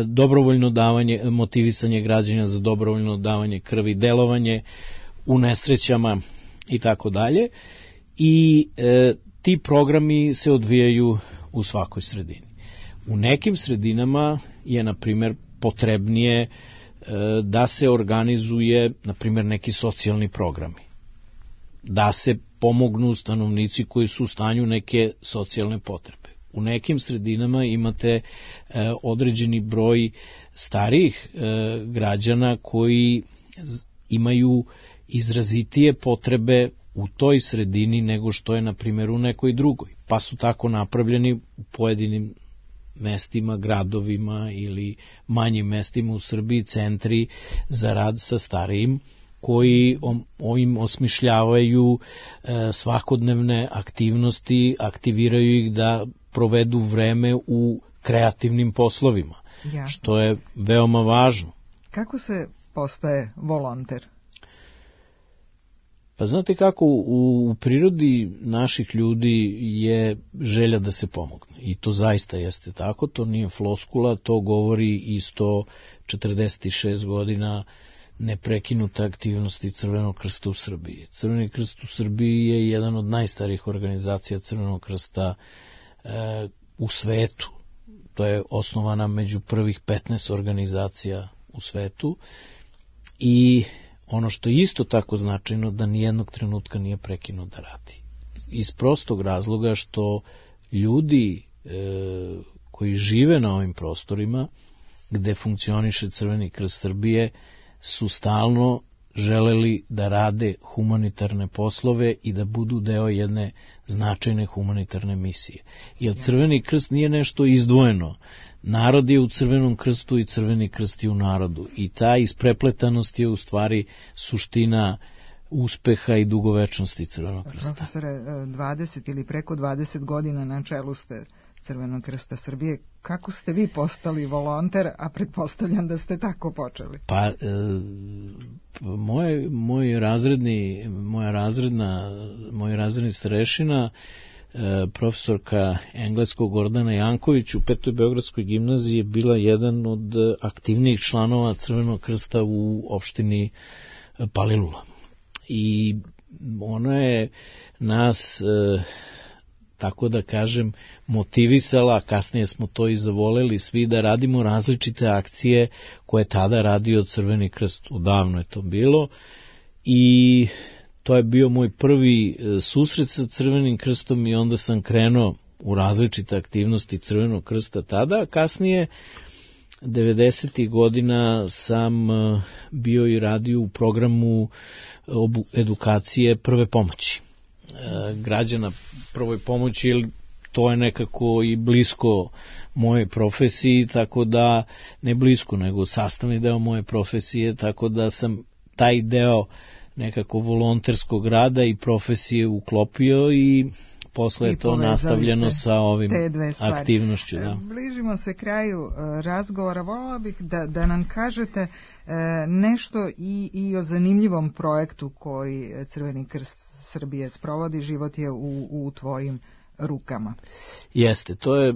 dobrovoljno davanje, motivisanje građana za dobrovoljno davanje krvi, delovanje u nesrećama i tako dalje. I e, ti programi se odvijaju u svakoj sredini. U nekim sredinama je, na primjer, potrebnije da se organizuje, na primjer, neki socijalni programi. Da se pomognu stanovnici koji su u stanju neke socijalne potrebe. U nekim sredinama imate e, određeni broj starijih e, građana koji imaju izrazitije potrebe u toj sredini nego što je, na primjer, u nekoj drugoj. Pa su tako napravljeni u pojedinim mestima, gradovima ili manjim mestima u Srbiji centri za rad sa starijim koji im osmišljavaju e, svakodnevne aktivnosti, aktiviraju ih da provedu vreme u kreativnim poslovima, Jasne. Što je veoma važno. Kako se postaje volonter? Pa znate kako, u, u prirodi naših ljudi je želja da se pomogne. I to zaista jeste tako, to nije floskula, to govori i sto četrdeset šest godina neprekinuta aktivnosti Crvenog krsta u Srbiji. Crveni krst u Srbiji je jedan od najstarijih organizacija Crvenog krsta e, u svetu. To je osnovana među prvih petnaest organizacija u svetu i ono što je isto tako značajno, da nijednog trenutka nije prekinuo da radi. Iz prostog razloga što ljudi e, koji žive na ovim prostorima gde funkcioniše Crveni krst Srbije su stalno želeli da rade humanitarne poslove i da budu deo jedne značajne humanitarne misije. Jer Crveni krst nije nešto izdvojeno. Narod je u Crvenom krstu i Crveni krst je u narodu. I ta isprepletanost je u stvari suština uspeha i dugovečnosti Crvenog krsta. Profesore, dvadeset ili preko dvadeset godina na čelu ste Crvenog krsta Srbije. Kako ste vi postali volonter, a pretpostavljam da ste tako počeli? Pa, e, moj, moj razredni, moja razredna, moj razredni starešina, e, profesorka engleskog Gordana Janković u Petoj Beogradskoj gimnaziji je bila jedan od aktivnijih članova Crvenog krsta u opštini Palilula. I ona je nas... E, tako da kažem, motivisala, kasnije smo to i zavoleli svi da radimo različite akcije koje je tada radio Crveni krst, udavno je to bilo i to je bio moj prvi susret sa Crvenim krstom i onda sam krenuo u različite aktivnosti Crvenog krsta tada, a kasnije devedesetih godina sam bio i radio u programu edukacije prve pomoći građana prvoj pomoći, jer to je nekako i blisko moje profesiji, tako da, ne blisko, nego sastavni deo moje profesije, tako da sam taj deo nekako volonterskog rada i profesije uklopio i posle je to nastavljeno sa ovim aktivnošću. Da. Bližimo se kraju razgovora, volila bih da, da nam kažete nešto i, i o zanimljivom projektu koji Crveni krst Srbije sprovodi. Život je u, u tvojim rukama. Jeste, to je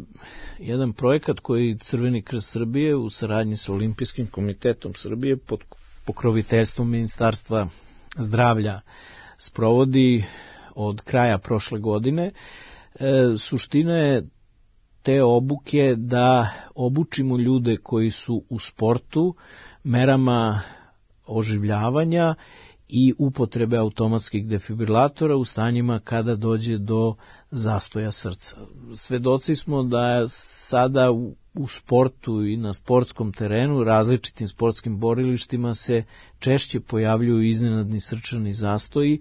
jedan projekat koji Crveni krst Srbije u saradnji sa Olimpijskim komitetom Srbije pod pokroviteljstvom Ministarstva zdravlja sprovodi od kraja prošle godine. E, suština je te obuke da obučimo ljude koji su u sportu merama oživljavanja i upotrebe automatskih defibrilatora u stanjima kada dođe do zastoja srca. Svedoci smo da sada u, u sportu i na sportskom terenu, različitim sportskim borilištima se češće pojavljuju iznenadni srčani zastoji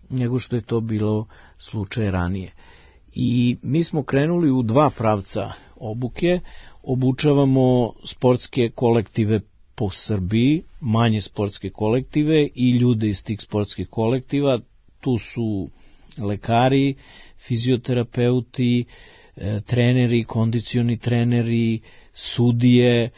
nego što je to bilo slučaj ranije. I mi smo krenuli u dva pravca obuke, obučavamo sportske kolektive po Srbiji, manje sportske kolektive i ljude iz tih sportskih kolektiva. Tu su lekari, fizioterapeuti, treneri, kondicioni treneri, sudije,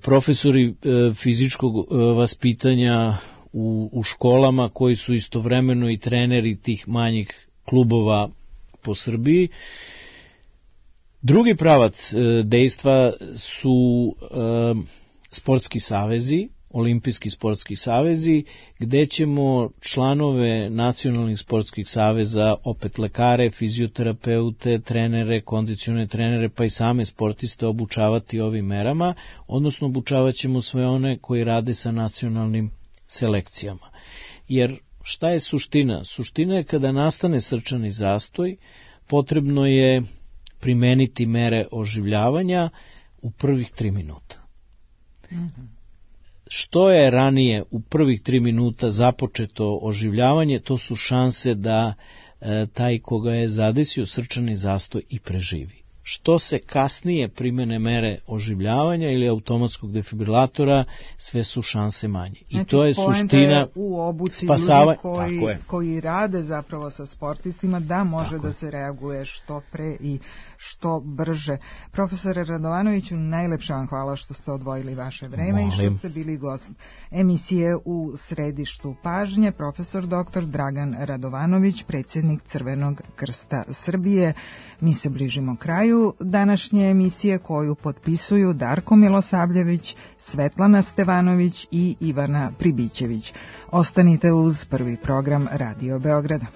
profesori fizičkog vaspitanja u, u školama koji su istovremeno i treneri tih manjih klubova po Srbiji. Drugi pravac dejstva su sportski savezi, olimpijski sportski savezi, gde ćemo članove nacionalnih sportskih saveza, opet lekare, fizioterapeute, trenere, kondicione trenere, pa i same sportiste obučavati ovim merama, odnosno obučavat ćemo sve one koji rade sa nacionalnim selekcijama. Jer šta je suština? Suština je kada nastane srčani zastoj, potrebno je primeniti mere oživljavanja u prvih tri minuta. Mm-hmm. Što je ranije u prvih tri minuta započeto oživljavanje, to su šanse da e, taj koga je zadesio srčani zastoj i preživi. Što se kasnije primene mere oživljavanja ili automatskog defibrilatora, sve su šanse manje. I znači, to je suština u obuci spasava... ljudi koji, koji rade zapravo sa sportistima, da može tako da se reaguje što pre i što brže. Profesore Radovanoviću, najlepša vam hvala što ste odvojili vaše vreme Molim. i što ste bili gost emisije U središtu pažnje. Profesor doktor Dragan Radovanović, predsjednik Crvenog krsta Srbije. Mi se bližimo kraju današnje emisije koju potpisuju Darko Milosavljević, Svetlana Stevanović i Ivana Pribićević. Ostanite uz prvi program Radio Beograda.